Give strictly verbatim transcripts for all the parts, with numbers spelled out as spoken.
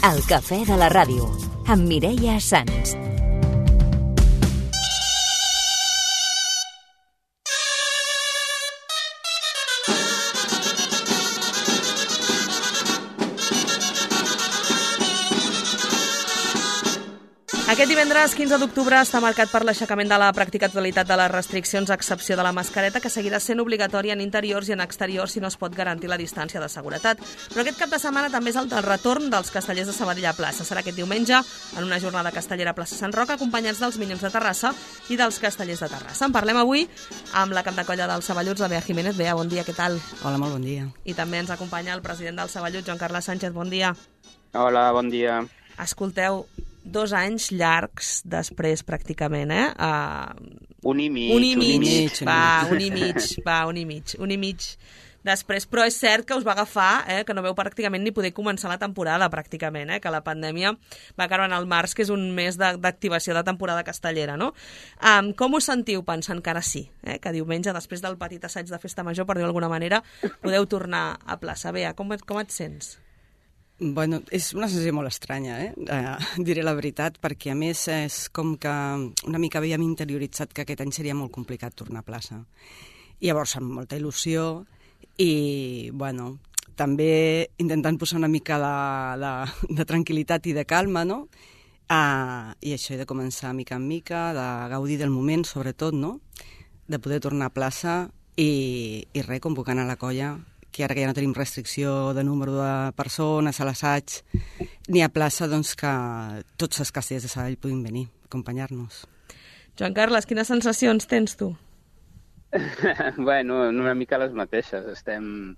El cafè de la ràdio, amb Mireia Sans. Aquest divendres quinze d'octubre està marcat per l'aixecament de la pràctica totalitat de les restriccions a excepció de la mascareta, que seguirà sent obligatòria en interiors i en exteriors si no es pot garantir la distància de seguretat. Però aquest cap de setmana també és el del retorn dels castellers de Sabadell a plaça. Serà aquest diumenge en una jornada castellera a plaça Sant Roc, acompanyats dels Minyons de Terrassa i dels castellers de Terrassa. En parlem avui amb la cap de colla dels Saballuts, la Bea Jiménez. Bea, bon dia, què tal? Hola, molt bon dia. I també ens acompanya el president dels Saballuts, Joan Carles Sánchez, bon dia. Hola, bon dia. Escolteu, dos anys llargs després, pràcticament, eh? Uh, un i mig. Un i mig, un i mig, va, un i mig, va, un i mig, un i mig després. Però és cert que us va agafar, eh, que no veu pràcticament ni poder començar la temporada, pràcticament, eh, que la pandèmia va caure en el març, que és un mes d'activació de, de temporada castellera, no? Um, com us sentiu pensant que ara sí, eh, que diumenge, després del petit assaig de festa major, per dir-ho d'alguna manera, podeu tornar a plaça? Bea, com, com et sents? Bueno, és una sensació molt estranya, eh? eh? Diré la veritat, perquè a més és com que una mica havíem interioritzat que aquest any seria molt complicat tornar a plaça. I llavors amb molta il·lusió i, bueno, també intentant posar una mica de, de, de tranquil·litat i de calma, no? Uh, I això, de començar mica en mica, de gaudir del moment, sobretot, no? De poder tornar a plaça i, i res, convocant a la colla, que ara que ja no tenim restricció de número de persones a l'assaig ni a plaça, doncs que tots els castellers de Sabadell puguin venir a acompanyar-nos. Joan Carles, quines sensacions tens tu? Bueno, una mica les mateixes. Estem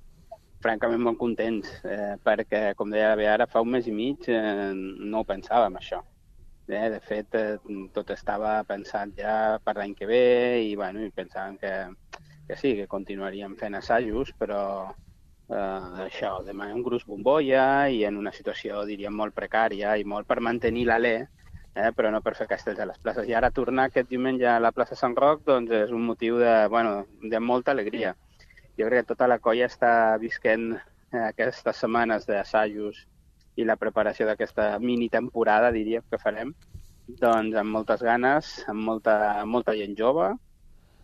francament molt contents, eh, perquè, com deia la Bea, ara fa un mes i mig eh, no ho pensàvem, això. Eh, de fet, eh, tot estava pensat ja per l'any que ve i, bueno, i pensàvem que, que sí, que continuaríem fent assajos, però Uh, això, demà un gruix bombolla i en una situació, diríem, molt precària i molt per mantenir l'alè, eh, però no per fer castells a les places. I ara tornar aquest diumenge a la plaça Sant Roc doncs és un motiu de, bueno, de molta alegria. Jo crec que tota la colla està visquent eh, aquestes setmanes d'assajos i la preparació d'aquesta mini temporada, diríem, que farem, doncs amb moltes ganes, amb molta, molta gent jove,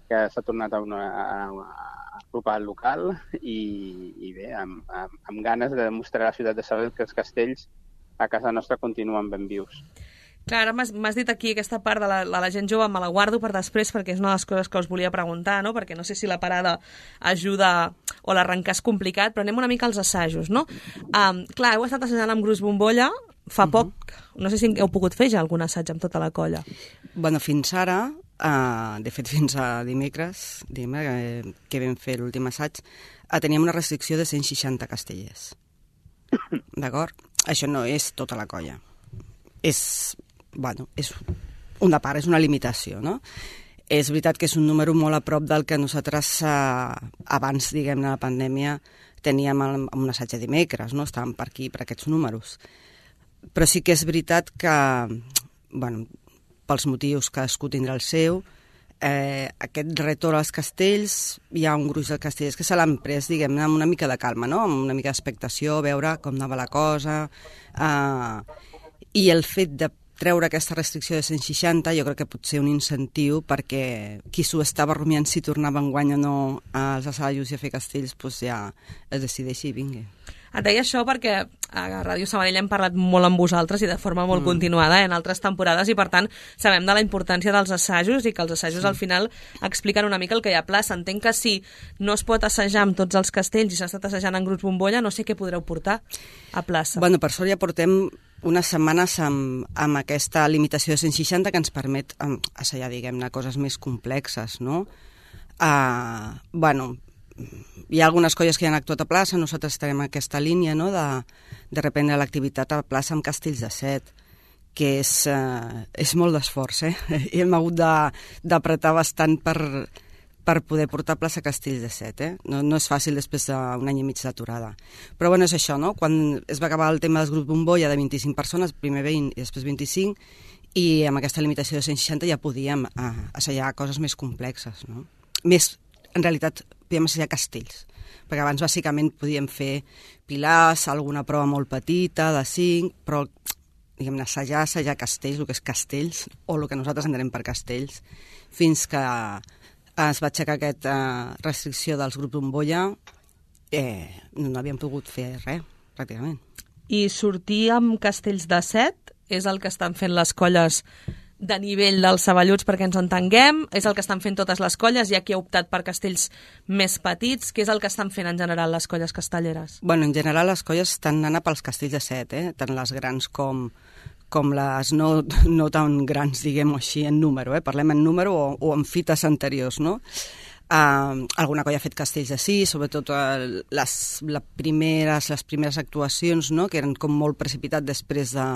que s'ha tornat a una... A, a, apropar al local i, i bé, amb, amb, amb ganes de demostrar a la ciutat de Sabadell que els castells a casa nostra continuen ben vius. Clar, ara m'has dit aquí aquesta part de la, de la gent jove, me la guardo per després perquè és una de les coses que us volia preguntar, no? Perquè no sé si la parada ajuda o l'arrencar és complicat, però anem una mica als assajos, no? Um, clar, heu estat assajant amb gruix bombolla fa poc, uh-huh. No sé si heu pogut fer ja algun assaig amb tota la colla. Bueno, fins ara, uh, de fet fins a dimecres, diguem, que, que vam fer l'últim assaig, uh, teníem una restricció de cent seixanta castellers. D'acord? Això no és tota la colla. És, bueno, és una part, és una limitació, no? És veritat que és un número molt a prop del que nosaltres uh, abans, diguem-ne, de la pandèmia teníem el, un assaig de dimecres, no? Estàvem per aquí, per aquests números. Però sí que és veritat que, bueno, pels motius que cadascú tindrà el seu, eh, aquest retorn als castells, hi ha un gruix de castellers que se l'han pres, diguem-ne, amb una mica de calma, no? Amb una mica d'expectació, veure com anava la cosa. Eh, I el fet de treure aquesta restricció de cent seixanta jo crec que pot ser un incentiu perquè qui s'ho estava rumiant si tornava enguany o no als assajos i a fer castells, doncs ja es decideixi i vingui. Et deia això perquè a Ràdio Sabadell hem parlat molt amb vosaltres i de forma molt mm. continuada en altres temporades i per tant sabem de la importància dels assajos i que els assajos sí. Al final expliquen una mica el que hi ha a plaça. Entenc que si no es pot assajar amb tots els castells i s'ha estat assajant en grups bombolla, no sé què podreu portar a plaça. Bueno, per sort ja portem unes setmanes amb, amb aquesta limitació de cent seixanta que ens permet um, assajar, diguem-ne, coses més complexes, no? Uh, bueno, hi ha algunes colles que ja han actuat a plaça, nosaltres estarem en aquesta línia, no?, de, de reprendre l'activitat a plaça amb castells de set, que és, uh, és molt d'esforç, eh? I hem hagut d'apretar bastant per, per poder portar a plaça castells de set, eh? No, no és fàcil després d'un any i mig d'aturada. Però bueno, és això, no? Quan es va acabar el tema dels grups bombolla de vint-i-cinc persones, primer vint i després vint-i-cinc, i amb aquesta limitació de cent seixanta ja podíem uh, assajar coses més complexes, no? Més, en realitat, podíem assajar castells, perquè abans bàsicament podíem fer pilars, alguna prova molt petita, de cinc, però diguem-ne, assajar, assajar castells, el que és castells, o el que nosaltres entenem per castells, fins que es va aixecar aquesta restricció dels grups bombolla, eh, no havíem pogut fer res, pràcticament. I sortir amb castells de set és el que estan fent les colles de nivell dels Saballuts perquè ens entenguem, és el que estan fent totes les colles, hi ha qui ha optat per castells més petits, què és el que estan fent en general les colles castelleres? Bueno, en general les colles estan anant pels castells de set, eh? Tant les grans com, com les no, no tan grans, diguem-ho així, en número, eh? Parlem en número o, o en fites anteriors, no? Uh, alguna colla ha fet castells de sis, sobretot uh, les, les, primeres, les primeres actuacions, no? Que eren com molt precipitat després de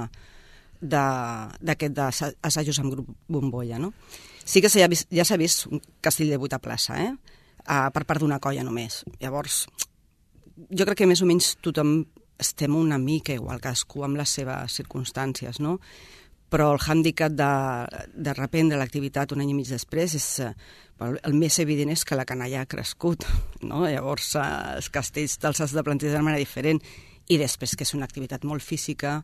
d'aquest assajos amb grup bombolla, no? Sí que ja, ja s'ha vist un castell de vuit a plaça, eh? Uh, per part d'una colla només. Llavors, jo crec que més o menys tothom estem una mica igual, cadascú amb les seves circumstàncies, no? Però el hàndicap de, de reprendre l'activitat un any i mig després és, el més evident és que la canalla ha crescut, no? Llavors, uh, els castells te'ls has de plantejar de manera diferent, i després que és una activitat molt física,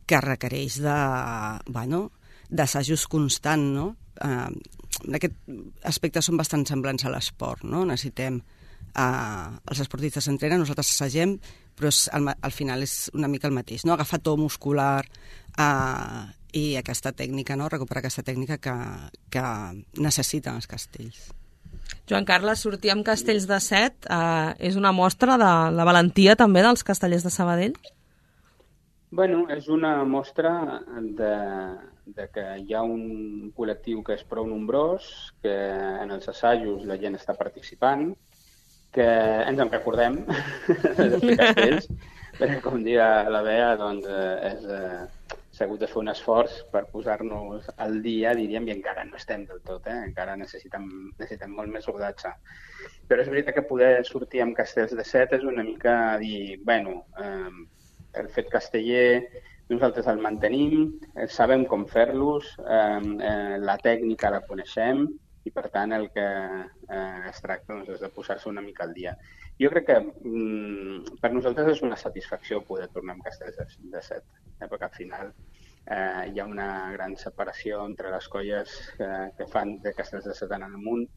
que requereix de, bueno, d'assajos constant, no? Eh, en aquest aspecte són bastant semblants a l'esport, no? Necessitem, eh, els esportistes s'entrenen, nosaltres assagem, però és, al, al final és una mica el mateix, no? Agafar to muscular eh, i aquesta tècnica, no? Recuperar aquesta tècnica que, que necessiten els castells. Joan Carles, sortir amb castells de set eh, és una mostra de la valentia també dels castellers de Sabadell? Bueno, és una mostra de, de que hi ha un col·lectiu que és prou nombrós, que en els assajos la gent està participant, que ens en recordem de fer castells, perquè com dia la Bea, doncs, és, eh, s'ha hagut de fer un esforç per posar-nos al dia, diríem, i encara no estem del tot, eh? Encara necessitem, necessitem molt més rodatge. Però és veritat que poder sortir amb castells de set és una mica dir, bueno, eh, el fet casteller nosaltres el mantenim, sabem com fer-los, eh, eh, la tècnica la coneixem i per tant el que eh, es tracta doncs, és de posar-se una mica al dia. Jo crec que mm, per nosaltres és una satisfacció poder tornar amb castells de, de set, eh, perquè al final eh, hi ha una gran separació entre les colles que, que fan de castells de set en amunt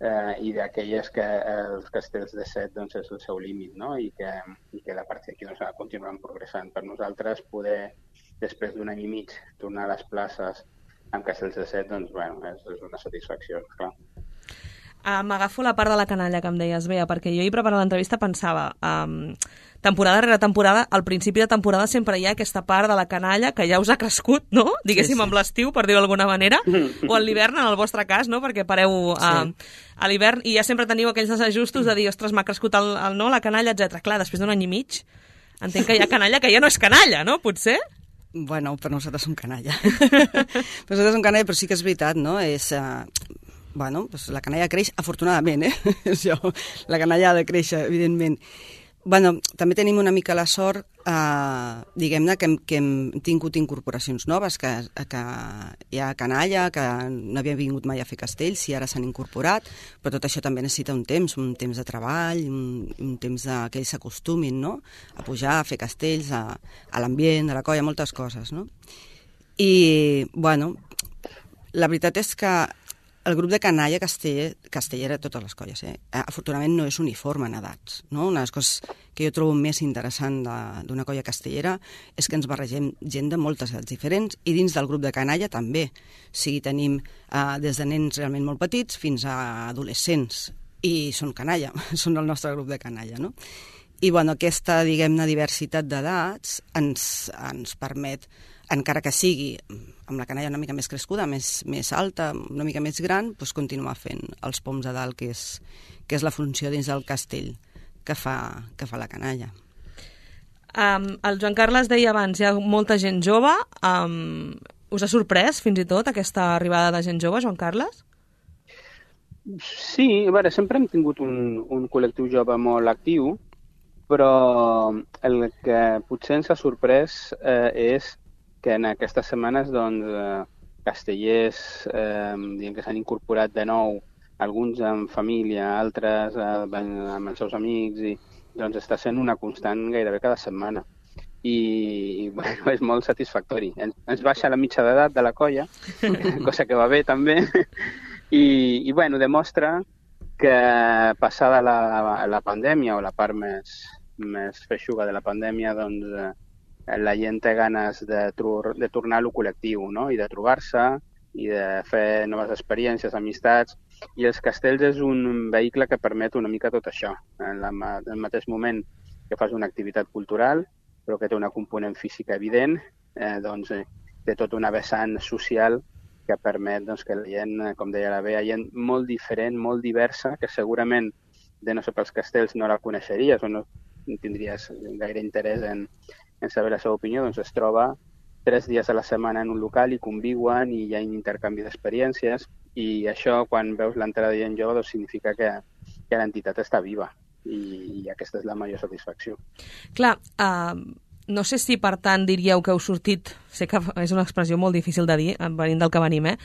eh, i d'aquelles que els castells de set doncs, és el seu límit, no? I que, i que la part d'aquí doncs, continuem progressant. Per nosaltres poder, després d'un any i mig, tornar a les places amb castells de set, doncs, bueno, és, és una satisfacció, clar. Uh, M'agafo la part de la canalla que em deies, Bea, perquè jo ahir preparant l'entrevista pensava, um, temporada rere temporada, al principi de temporada sempre hi ha aquesta part de la canalla que ja us ha crescut, no? Diguéssim, sí, sí. Amb l'estiu, per dir-ho d'alguna manera, o a l'hivern, en el vostre cas, no? Perquè pareu uh, sí. a l'hivern i ja sempre teniu aquells desajustos de dir, ostres, m'ha crescut el, el, no, la canalla, etcètera. Clar, després d'un any i mig, entenc que hi ha canalla que ja no és canalla, no? Potser? Bueno, per nosaltres som canalla. Per nosaltres som canalla, però sí que és veritat, no? És... Uh... Bueno, doncs la canalla creix, afortunadament, eh? Això, la canalla ha de créixer, evidentment. Bueno, també tenim una mica la sort, eh, diguem-ne, que, hem, que hem tingut incorporacions noves, que, que hi ha canalla, que no havien vingut mai a fer castells i ara s'han incorporat, però tot això també necessita un temps, un temps de treball, un, un temps de, que ells s'acostumin, no?, a pujar, a fer castells, a, a l'ambient, a la colla, moltes coses, no? I, bueno, la veritat és que el grup de canalla casteller, castellera de totes les colles, eh? Afortunadament no és uniforme en edats, no? Una de les coses que jo trobo més interessant d'una colla castellera és que ens barregem gent de moltes edats diferents i dins del grup de canalla també. O sigui, tenim eh, des de nens realment molt petits fins a adolescents i són canalla, són el nostre grup de canalla, no? I bueno, aquesta, diguem-ne, diversitat d'edats ens, ens permet, encara que sigui amb la canalla una mica més crescuda, més, més alta, una mica més gran, doncs continuar fent els poms a dalt, que és, que és la funció dins del castell que fa, que fa la canalla. Um, el Joan Carles deia abans, hi ha molta gent jove. Um, us ha sorprès fins i tot aquesta arribada de gent jove, Joan Carles? Sí, a veure, sempre hem tingut un, un col·lectiu jove molt actiu, però el que potser ens ha sorprès eh, és que en aquestes setmanes doncs, eh, castellers eh, que s'han incorporat de nou alguns amb família, altres eh, amb els seus amics, i doncs està sent una constant gairebé cada setmana. I, i bueno, és molt satisfactori. Ens, ens baixa la mitja d'edat de la colla, cosa que va bé també, i, i bueno, demostra que passada la, la pandèmia, o la part més, més feixuga de la pandèmia, doncs eh, la gent té ganes de, tru- de tornar a lo col·lectiu, no? I de trobar-se, i de fer noves experiències, amistats, i els castells és un vehicle que permet una mica tot això. En, la, en el mateix moment que fas una activitat cultural, però que té una component física evident, eh, doncs eh, té tota una vessant social que permet doncs, que la gent, com deia la Bea, gent molt diferent, molt diversa, que segurament de no ser pels castells no la coneixeries o no tindries gaire interès en, en saber la seva opinió, doncs es troba tres dies a la setmana en un local i conviuen i hi ha un intercanvi d'experiències, i això, quan veus l'entrada de gent jove, doncs significa que, que l'entitat està viva, i, i aquesta és la major satisfacció. Clar, uh, no sé si per tant diríeu que heu sortit, sé que és una expressió molt difícil de dir, venint del que venim, eh?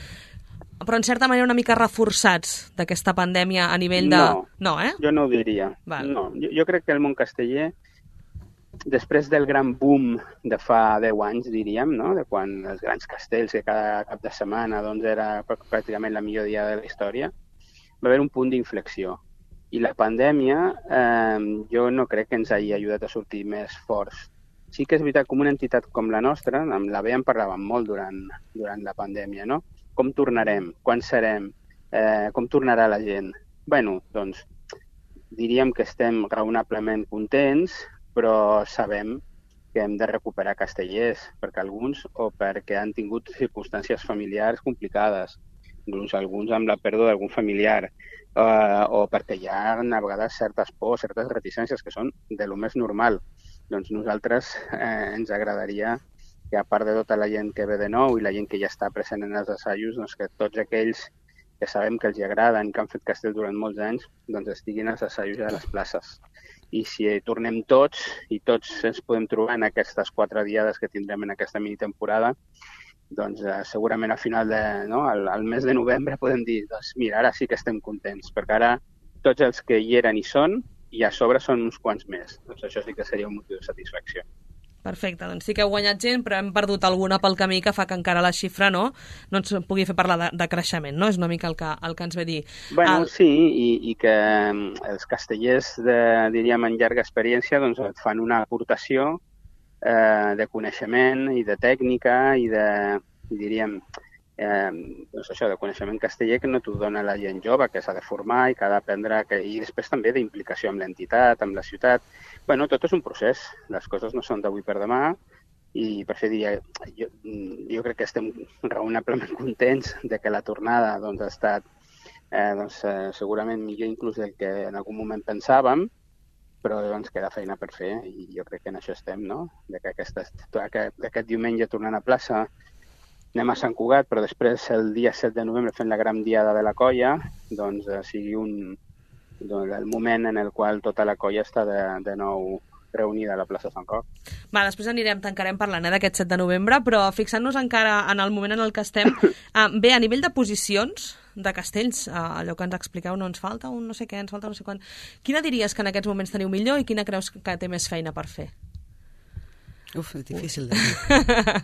Però en certa manera una mica reforçats d'aquesta pandèmia a nivell de... No, no eh? jo no ho diria. Val. No, jo, jo crec que el món casteller, després del gran boom de fa deu anys, diríem, no? De quan els grans castells, que cada cap de setmana doncs, era pràcticament la millor dia de la història, va haver un punt d'inflexió. I la pandèmia eh, jo no crec que ens hagi ajudat a sortir més forts. Sí que és veritat, com una entitat com la nostra, amb la Bea en parlàvem molt durant, durant la pandèmia, no? Com tornarem? Quan serem? Eh, com tornarà la gent? Bueno, doncs, diríem que estem raonablement contents, però sabem que hem de recuperar castellers, perquè alguns, o perquè han tingut circumstàncies familiars complicades, inclús alguns amb la pèrdua d'algun familiar, eh, o perquè hi ha a vegades certes pors, certes reticències que són de lo més normal. Doncs nosaltres eh, ens agradaria que, a part de tota la gent que ve de nou i la gent que ja està present en els assajos, doncs que tots aquells que sabem que els agraden, que han fet castell durant molts anys, doncs estiguin als assajos i a les places. I si tornem tots, i tots ens podem trobar en aquestes quatre diades que tindrem en aquesta mini-temporada, doncs eh, segurament a final de, no, al, al mes de novembre podem dir, doncs mira, ara sí que estem contents, perquè ara tots els que hi eren hi són, i a sobre són uns quants més. Doncs això sí que seria un motiu de satisfacció. Perfecte, doncs sí que heu guanyat gent, però hem perdut alguna pel camí que fa que encara la xifra no, no ens pugui fer parlar de, de creixement, no? És una mica el que, el que ens ve dir. Bueno, el... sí, i, i que els castellers, de, diríem, en llarga experiència, doncs et fan una aportació eh, de coneixement i de tècnica i de, diríem, eh, doncs això, de coneixement casteller que no t'ho dona la gent jove, que s'ha de formar i que ha d'aprendre, que... i després també d'implicació amb l'entitat, amb la ciutat. Bueno, tot és un procés, les coses no són d'avui per demà, i per això diria, jo, jo crec que estem raonablement contents de que la tornada doncs, ha estat eh, doncs, eh, segurament millor inclús del que en algun moment pensàvem, però ens queda feina per fer, i jo crec que en això estem, no? De que aquesta, aquest, aquest diumenge tornant a plaça, anem a Sant Cugat, però després el dia set de novembre fent la gran diada de la colla, doncs eh, sigui un, doncs, el moment en el qual tota la colla està de, de nou reunida a la plaça Sant Roc. Va, després anirem, tancarem parlant eh, d'aquest set de novembre, però fixant-nos encara en el moment en el que estem, eh, bé, a nivell de posicions de castells, eh, allò que ens expliqueu, no ens falta un no sé què, ens falta no sé quan. Quina diries que en aquests moments teniu millor i quina creus que té més feina per fer? Uf, és difícil de dir.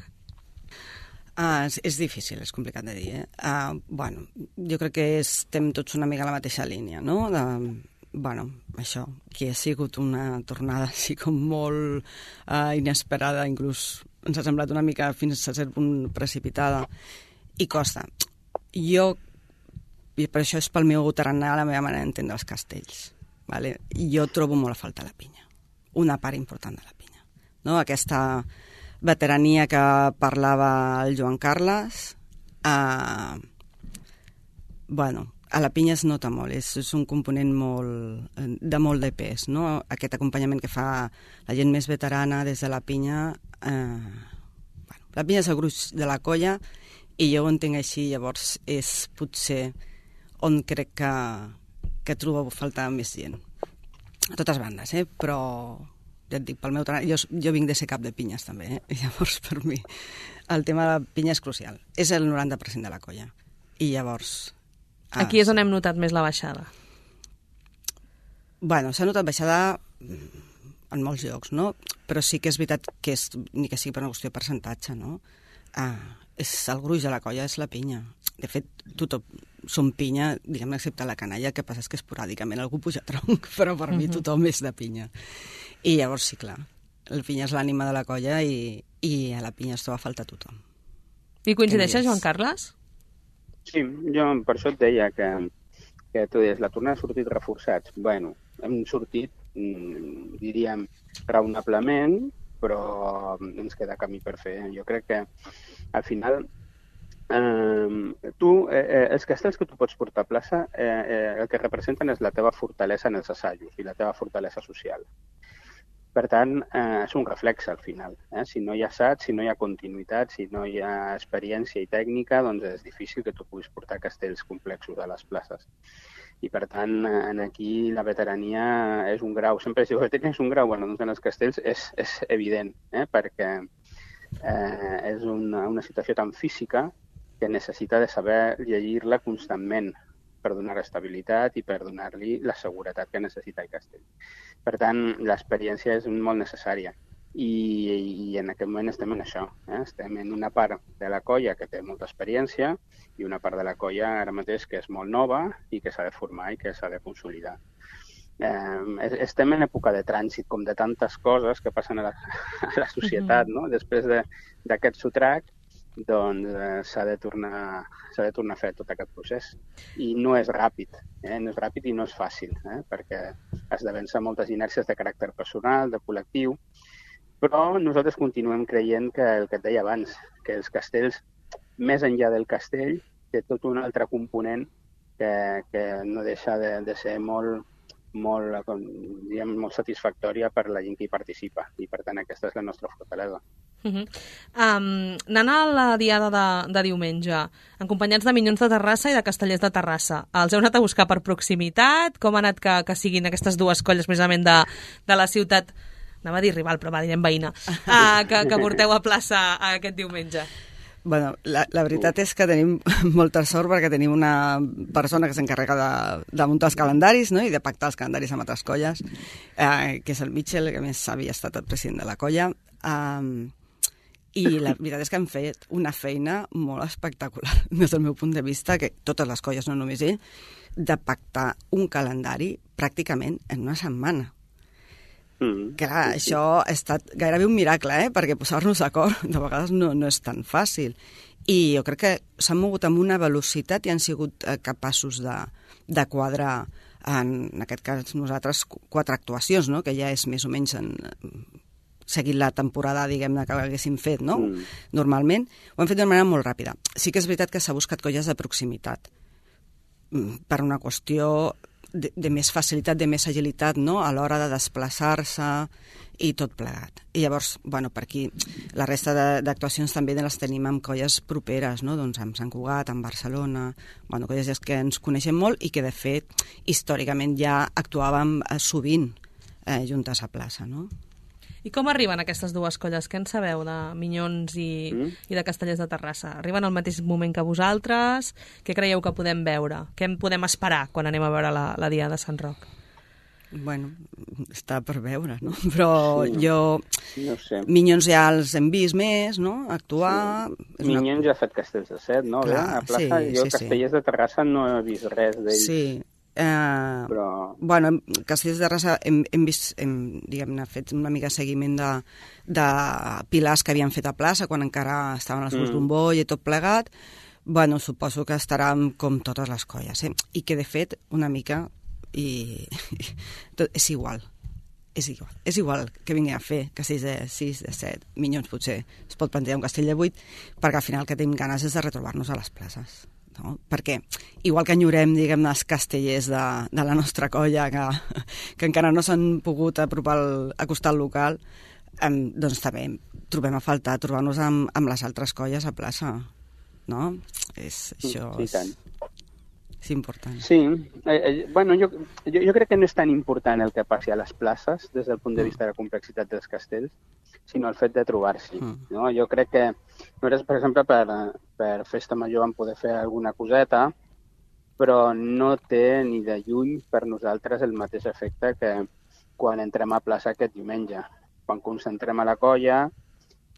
Uh, és, és difícil, és complicat de dir. Eh? Uh, bueno, jo crec que estem tots una mica a la mateixa línia, no? De, bueno, això, que ha sigut una tornada així com molt uh, inesperada, inclús ens ha semblat una mica fins a cert punt precipitada, i costa. Jo, i per això és pel meu tarannà la meva manera d'entendre els castells, vale? Jo trobo molt a falta la pinya, una part important de la pinya, no? Aquesta veterania que parlava el Joan Carles, eh, bueno, a la pinya es nota molt, és, és un component molt, de molt de pes, no? Aquest acompanyament que fa la gent més veterana des de la pinya, eh, bueno, la pinya és el gruix de la colla i jo ho entenc així, llavors és potser on crec que, que trobo falta més gent. A totes bandes, eh? Però ja et dic, pel meu treball, jo, jo vinc de ser cap de pinyes també, eh? I llavors per mi el tema de la pinya és crucial, és el noranta per cent de la colla, i llavors Aquí és on hem notat més la baixada. Bueno, s'ha notat baixada en molts llocs, no? Però sí que és veritat que és, ni que sigui per una qüestió de percentatge, no? Ah, és el gruix de la colla és la pinya. De fet, tothom som pinya, diguem-ne, excepte la canalla, que passa és que esporàdicament algú puja a tronc, però per uh -huh. mi tothom és de pinya. I llavors, sí, clar, la pinya és l'ànima de la colla i, i a la pinya es troba a faltar tothom. I coincideixes, Joan Carles? Sí, jo per això et deia que, que tu deies, la tornada ha sortit reforçats. Bueno, hem sortit, diríem, raonablement, però ens queda camí per fer. Jo crec que, al final, eh, tu, eh, els castells que tu pots portar a plaça, eh, eh, el que representen és la teva fortalesa en els assajos i la teva fortalesa social. Per tant, eh, és un reflex, al final. Eh? Si no hi ha assaig, si no hi ha continuïtat, si no hi ha experiència i tècnica, doncs és difícil que tu puguis portar castells complexos a les places. I, per tant, en aquí la veterania és un grau. Sempre si la veterania és un grau, bueno, doncs en els castells és, és evident, eh? perquè eh, és una, una situació tan física que necessita de saber llegir-la constantment per donar estabilitat i per donar-li la seguretat que necessita el castell. Per tant, l'experiència és molt necessària. I, i en aquest moment estem en això. Eh? Estem en una part de la colla que té molta experiència i una part de la colla ara mateix que és molt nova i que s'ha de formar i que s'ha de consolidar. Eh, estem en època de trànsit, com de tantes coses que passen a la, a la societat, no? Després d'aquest sotrac, doncs eh, s'ha de tornar s'ha de tornar a fer tot aquest procés. I no és ràpid, eh? no és ràpid i no és fàcil, eh? perquè has de vèncer moltes inèrcies de caràcter personal, de col·lectiu, però nosaltres continuem creient que el que et deia abans, que els castells, més enllà del castell, té tot un altre component que, que no deixa de, de ser molt, molt, com, diguem, molt satisfactòria per la gent que hi participa. I, per tant, aquesta és la nostra fortalesa. Uh -huh. um, anant a la diada de, de diumenge, acompanyats de Minyons de Terrassa i de Castellers de Terrassa, els heu anat a buscar per proximitat? Com ha anat que, que siguin aquestes dues colles precisament de, de la ciutat, anava a dir rival, però va, direm veïna, uh, que, que porteu a plaça aquest diumenge? Bueno, la, la veritat és que tenim molta sort perquè tenim una persona que s'encarrega de, de muntar els calendaris, no? I de pactar els calendaris amb altres colles, eh, que és el Mitchell, que a més havia estat el president de la colla. Um, I la veritat és que han fet una feina molt espectacular, des del meu punt de vista, que totes les colles, no només ell, de pactar un calendari pràcticament en una setmana. Mm. Clar, això ha estat gairebé un miracle, eh? Perquè posar-nos d'acord de vegades no, no és tan fàcil. I jo crec que s'han mogut amb una velocitat i han sigut eh, capaços de, de quadrar, en, en aquest cas nosaltres, quatre actuacions, no? Que ja és més o menys en... seguint la temporada, diguem-ne, que haguéssim fet, no? Mm. Normalment, ho hem fet d'una manera molt ràpida. Sí que és veritat que s'ha buscat colles de proximitat, per una qüestió de, de més facilitat, de més agilitat, no?, a l'hora de desplaçar-se i tot plegat. I llavors, bueno, per aquí, la resta d'actuacions també les tenim amb colles properes, no?, doncs amb Sant Cugat, amb Barcelona, bueno, colles que ens coneixem molt i que, de fet, històricament ja actuàvem sovint eh, juntes a plaça, no? I com arriben aquestes dues colles? Què en sabeu de Minyons i, mm. i de Castellers de Terrassa? Arriben al mateix moment que vosaltres? Què creieu que podem veure? Què en podem esperar quan anem a veure la, la Diada de Sant Roc? Bueno, està per veure, no? Però sí, jo... No sé. Minyons ja els hem vist més, no? Actuar... Sí. Minyons una... ja ha fet Castells de Set, no? Clar, a plaça, sí, jo sí, Castellers sí. de Terrassa no he vist res d'ell. Sí. Uh, però... Bueno, Castellers de Terrassa hem, hem vist, hem, diguem-ne, fet una mica seguiment de, de pilars que havien fet a plaça quan encara estaven els mm. bomboll i tot plegat. Bueno, suposo que estaran com totes les colles, eh? I que, de fet, una mica i tot, és igual. És igual. És igual que vingui a fer castells de sis, de set, Minyons potser es pot plantejar un castell de vuit, perquè al final que tenim ganes és de retrobar-nos a les places. No? Perquè, igual que enyorem, diguem-ne, els castellers de, de la nostra colla que, que encara no s'han pogut apropar el, acostar al local, eh, doncs també trobem a faltar trobar-nos amb, amb les altres colles a plaça, no? És, això sí, és, és important. Sí, eh, eh, bueno, jo, jo, jo crec que no és tan important el que passi a les places des del punt de vista de la complexitat dels castells, sinó el fet de trobar-s'hi. Mm. No? Jo crec que nosaltres, per exemple, per, per Festa Major vam poder fer alguna coseta però no té ni de lluny per nosaltres el mateix efecte que quan entrem a plaça aquest diumenge. Quan concentrem a la colla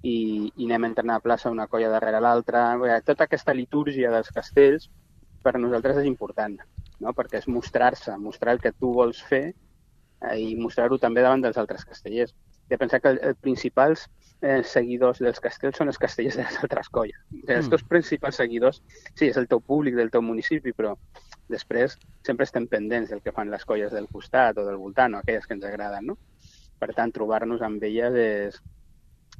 i, i anem entrant a plaça una colla darrere l'altra. Tota aquesta litúrgia dels castells per nosaltres és important, no? Perquè és mostrar-se, mostrar el que tu vols fer eh, i mostrar-ho també davant dels altres castellers. He de pensar que els principals eh, seguidors dels castells són els castellers de les altres colles. Mm. Els teus principals seguidors, sí, és el teu públic del teu municipi, però després sempre estem pendents del que fan les colles del costat o del voltant, o aquelles que ens agraden, no? Per tant, trobar-nos amb elles és...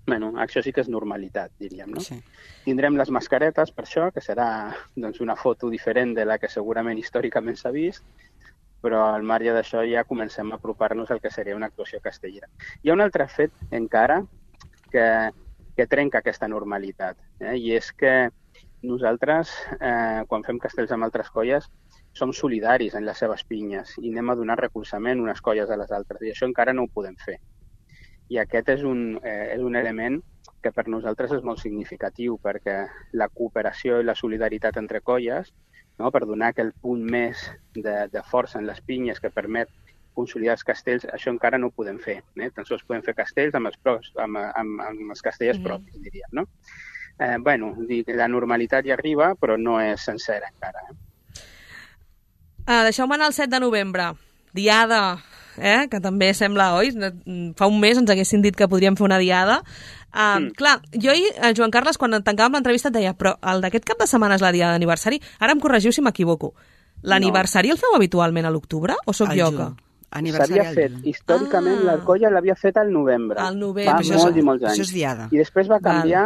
Bueno, això sí que és normalitat, diríem, no? Sí. Tindrem les mascaretes, per això, que serà doncs, una foto diferent de la que segurament històricament s'ha vist, però al marge d'això ja comencem a apropar-nos al que seria una actuació castellera. Hi ha un altre fet encara que, que trenca aquesta normalitat, eh? I és que nosaltres, eh, quan fem castells amb altres colles, som solidaris en les seves pinyes i anem a donar recolzament unes colles a les altres, i això encara no ho podem fer. I aquest és un, eh, és un element que per nosaltres és molt significatiu, perquè la cooperació i la solidaritat entre colles, no, per donar aquell punt més de, de força en les pinyes que permet consolidar els castells, això encara no ho podem fer. Eh? Tan sols podem fer castells amb els, pros, amb, amb, amb els castellers mm-hmm. propis, diríem. No? Eh, bueno, la normalitat hi arriba, però no és sencera encara. Eh? Uh, Deixeu-me anar el set de novembre, diada, eh? Que també sembla, oi? Fa un mes ens haguessin dit que podríem fer una diada. Uh, mm. Clar, jo i el Joan Carles, quan tancàvem l'entrevista, et deia, però el d'aquest cap de setmana és la diada d'aniversari. Ara em corregiu si m'equivoco. L'aniversari no. El feu habitualment a l'octubre o sóc jo que...? S'havia fet, històricament ah. la colla l'havia fet al novembre. Al novembre. Fa molts i molts anys. Això és diada. I després va canviar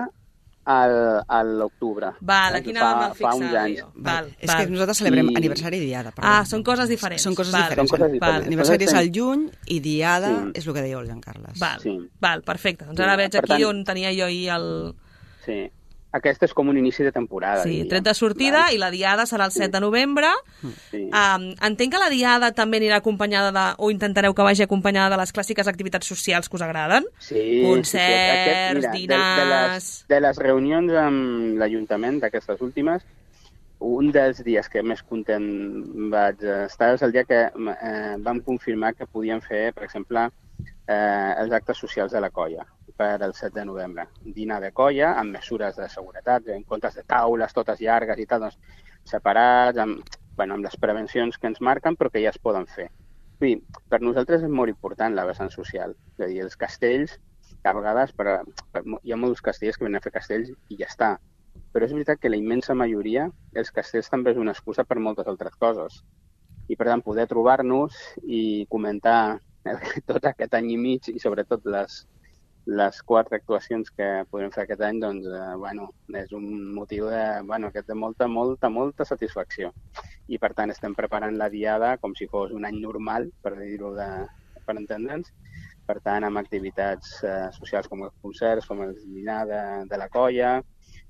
al, a l'octubre. Val, aquí anàvem a fixar. Val, és que nosaltres celebrem I... aniversari i diada. Perdó. Ah, són coses diferents. Són coses val. diferents. Són coses diferents. Aniversari és al juny i diada sí. és el que deia el Joan Carles. Val, sí. val, perfecte. Doncs ara sí. veig aquí tant... on tenia jo ahir el... Sí. Aquest és com un inici de temporada. Sí, tret de sortida val. I la diada serà el set de novembre. Sí. Um, entenc que la diada també anirà acompanyada de, o intentareu que vagi acompanyada de les clàssiques activitats socials que us agraden? Sí. Concerts, sí, sí. Aquest, mira, dinars... De, de, les, de les reunions amb l'Ajuntament d'aquestes últimes, un dels dies que més content vaig estar és el dia que eh, vam confirmar que podíem fer, per exemple, eh, els actes socials de la colla per el set de novembre. Dinar de colla amb mesures de seguretat, en comptes de taules totes llargues i tal, doncs, separats, amb, bueno, amb les prevencions que ens marquen, però que ja es poden fer. Sí, per nosaltres és molt important la vessant social. És a dir, els castells, a vegades, per, per, hi ha molts castellers que venen a fer castells i ja està. Però és veritat que la immensa majoria, els castells també és una excusa per moltes altres coses. I, per tant, poder trobar-nos i comentar tot aquest any i mig i, sobretot, les les quatre actuacions que podrem fer aquest any, doncs, eh, bueno, és un motiu de, bueno, de molta, molta, molta satisfacció. I, per tant, estem preparant la diada com si fos un any normal, per dir-ho de, per entendre'ns. Per tant, amb activitats eh, socials com els concerts, com el dinar de, de la colla,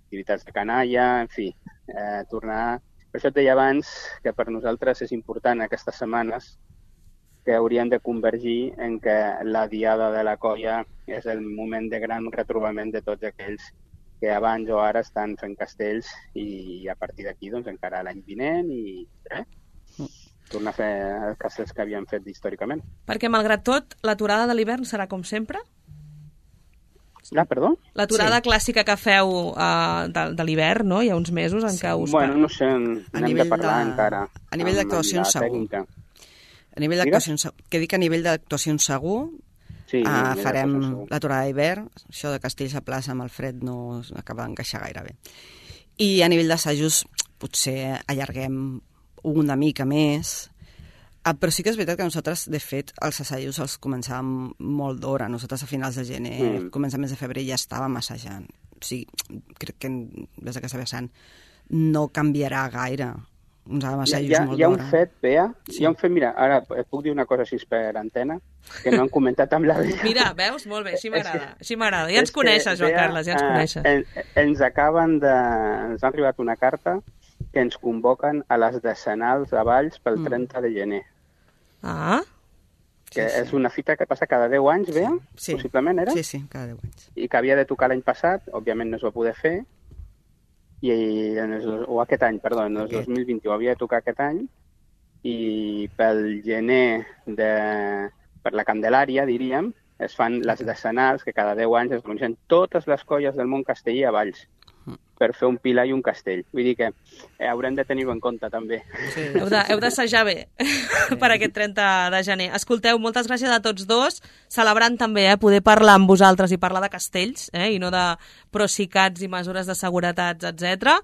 activitats de canalla, en fi, eh, tornar... Per això et deia abans que per nosaltres és important aquestes setmanes que haurien de convergir en que la diada de la colla és el moment de gran retrobament de tots aquells que abans o ara estan fent castells i a partir d'aquí doncs encara l'any vinent i res, tornar a fer els castells que havien fet històricament. Perquè malgrat tot, l'aturada de l'hivern serà com sempre? Ah, perdó? L'aturada sí. clàssica que feu uh, de, de l'hivern, no? Hi ha uns mesos en sí. què us... Bueno, no sé, n'hem de parlar de... encara. A nivell d'actuacions segur. A nivell d'actuacions, que dic a nivell d'actuacions segur, sí, uh, farem l'aturada d'hivern, això de Castells a plaça amb el fred no acaba d'encaixar gaire bé. I a nivell d'assajos potser allarguem una mica més, uh, però sí que és veritat que nosaltres, de fet, els assajos els començàvem molt d'hora. Nosaltres a finals de gener, mm. començaments de febrer ja estàvem assajant. O sigui, crec que des d'aquesta vessant no canviarà gaire. Uns assajos hi ha, molt hi ha un d'hora. fet, Bea, sí. hi ha un fet, mira, ara et puc dir una cosa així per antena, que no han comentat amb la Bea. Mira, veus? Molt bé, així m'agrada, així m'agrada. Ja ens coneixes, Joan Carles, ja ens coneixes. Eh, ens acaben de... ens ha arribat una carta que ens convoquen a les decenals de Valls pel mm. trenta de gener. Ah, que sí, sí. és una fita que passa cada deu anys, Bea, sí. possiblement era? Sí, sí, cada deu anys. I que havia de tocar l'any passat, òbviament no es va poder fer, i en el, o aquest any, perdó, en el dos mil vint-i-u havia de tocar aquest any, i pel gener de, per la Candelària, diríem, es fan les decenals, que cada deu anys es reuneixen totes les colles del món castellí a Valls per fer un pilar i un castell. Vull dir que eh, haurem de tenir-ho en compte, també. Sí. Heu de, heu d'assajar bé sí. per aquest trenta de gener. Escolteu, moltes gràcies a tots dos, celebrant també eh, poder parlar amb vosaltres i parlar de castells, eh, i no de procicats i mesures de seguretat, etcètera.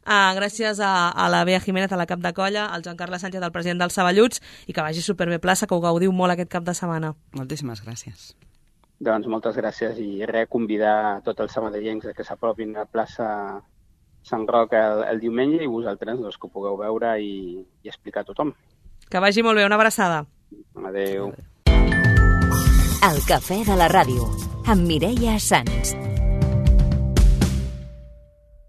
Uh, gràcies a, a la Bea Jiménez, a la cap de colla, al Joan Carles Sánchez, el president dels Saballuts, i que vagi superbé plaça, que ho gaudiu molt aquest cap de setmana. Moltíssimes gràcies. Doncs moltes gràcies i res, convidar tots els sabadellencs que s'apropin a plaça Sant Roc el, el diumenge i vosaltres doncs, que ho pugueu veure i, i explicar a tothom. Que vagi molt bé, una abraçada. Adéu. El cafè de la ràdio, amb Mireia Sans.